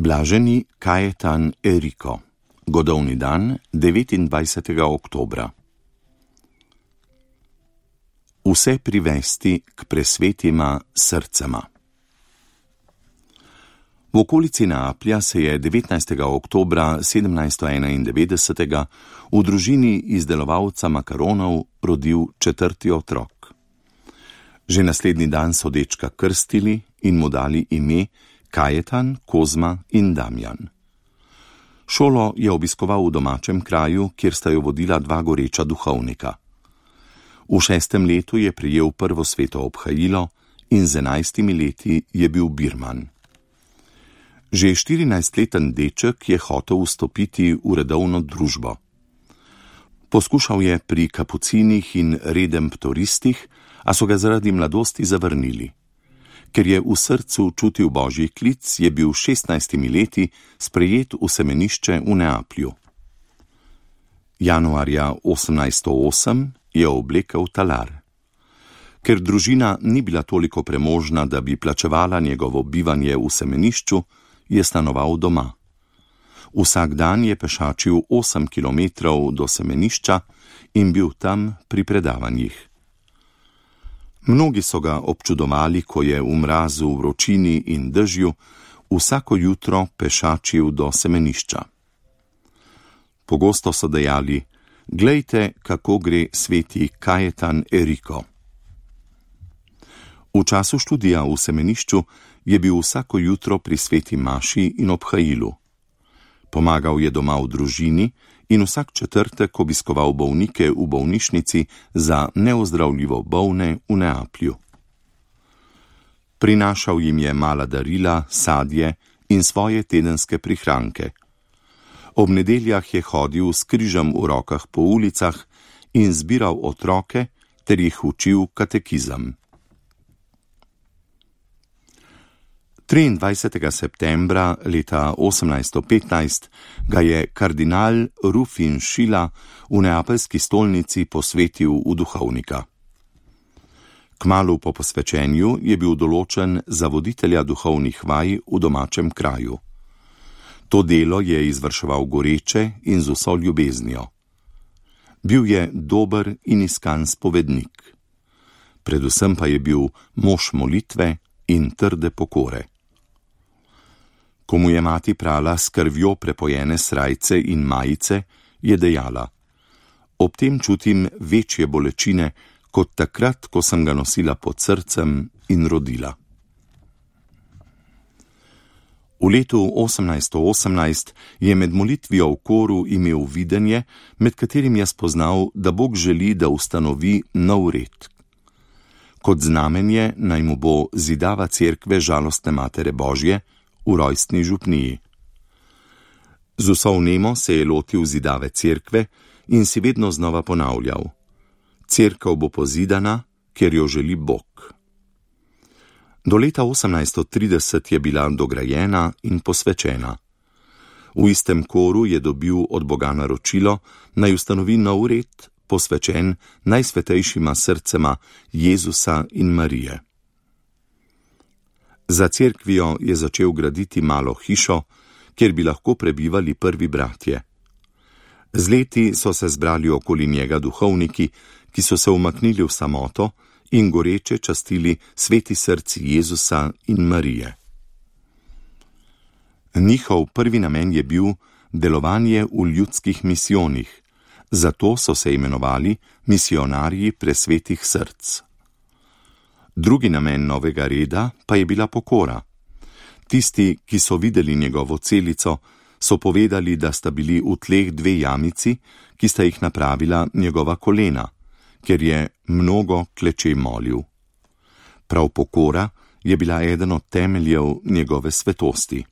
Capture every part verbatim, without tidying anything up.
Blaženi Kajetan Eriko. Godovni dan devetindvajsetega oktobra. Vse privesti k presvetima srcema. V okolici Neaplja se je devetnajstega oktobra sedemnajststo enaindevetdeset v družini izdelovalca makaronov rodil četrti otrok. Že naslednji dan so dečka krstili in mu dali ime Kajetan, Kozma in Damjan. Šolo je obiskoval v domačem kraju, kjer sta jo vodila dva goreča duhovnika. V šestem letu je prejel prvo sveto obhajilo in z enajstimi leti je bil birman. Že štirinajstleten deček je hotel vstopiti v redovno družbo. Poskušal je pri kapucinih in redemptoristih, a so ga zaradi mladosti zavrnili. Ker je v srcu čutil božji klic, je bil s šestnajstimi leti sprejet v semenišče v Neaplju. Januarja osemnajststo osem je oblekel talar. Ker družina ni bila toliko premožna, da bi plačevala njegovo bivanje v semenišču, je stanoval doma. Vsak dan je pešačil osem kilometrov do semenišča in bil tam pri predavanjih. Mnogi so ga občudovali, ko je v mrazu, vročini in dežju vsako jutro pešačil do semenišča. Pogosto so dejali: "Glejte, kako gre sveti Kajetan Eriko." V času študija v semenišču je bil vsako jutro pri sveti maši in obhajilu. Pomagal je doma v družini in vsak četrtek obiskoval bolnike v bolnišnici za neozdravljivo bolne v Neaplju. Prinašal jim je mala darila, sadje in svoje tedenske prihranke. Ob nedeljah je hodil s križem v rokah po ulicah in zbiral otroke ter jih učil katekizem. triindvajsetega septembra leta osemnajststo petnajst ga je kardinal Rufin Šila v neapeljski stolnici posvetil v duhovnika. Kmalu po posvečenju je bil določen za voditelja duhovnih vaj v domačem kraju. To delo je izvrševal goreče in z vso ljubeznijo. Bil je dober in iskan spovednik. Predvsem pa je bil mož molitve in trde pokore. Ko mu je mati prala s krvjo prepojene srajce in majice, je dejala: "Ob tem čutim večje bolečine, kot takrat, ko sem ga nosila pod srcem in rodila." V letu osemnajststo osemnajst je med molitvijo v koru imel videnje, med katerim je spoznal, da Bog želi, da ustanovi nov red. Kot znamenje naj mu bo zidava cerkve Žalostne Matere Božje v rojstni župniji. Z vso vnemo se je lotil zidave cerkve in si vedno znova ponavljal: "Cerkev bo pozidana, ker jo želi Bog." Do leta osemnajststo trideset je bila dograjena in posvečena. V istem koru je dobil od Boga naročilo, naj ustanovi nov red, posvečen najsvetejšima srcema Jezusa in Marije. Za cerkvijo je začel graditi malo hišo, kjer bi lahko prebivali prvi bratje. Z leti so se zbrali okoli njega duhovniki, ki so se umaknili v samoto in goreče častili sveti srci Jezusa in Marije. Njihov prvi namen je bil delovanje v ljudskih misijonih, zato so se imenovali misionarji presvetih src. Drugi namen novega reda pa je bila pokora. Tisti, ki so videli njegovo celico, so povedali, da sta bili v tleh dve jamici, ki sta jih napravila njegova kolena, ker je mnogo kleče molil. Prav pokora je bila eden od temeljev njegove svetosti.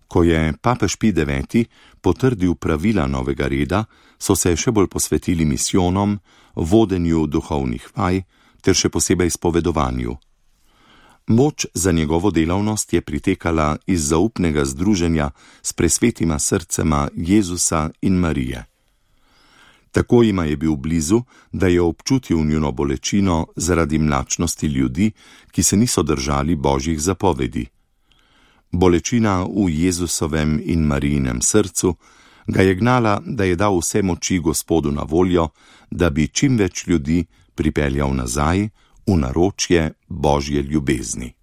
Ko je papež Pij deveti potrdil pravila novega reda, so se še bolj posvetili misijonom, vodenju duhovnih vaj ter še posebej spovedovanju. Moč za njegovo delavnost je pritekala iz zaupnega združenja s presvetima srcema Jezusa in Marije. Tako jima je bil blizu, da je občutil njuno bolečino zaradi mlačnosti ljudi, ki se niso držali božjih zapovedi. Bolečina v Jezusovem in Marijinem srcu ga je gnala, da je dal vse moči Gospodu na voljo, da bi čim več ljudi pripeljal nazaj v naročje Božje ljubezni.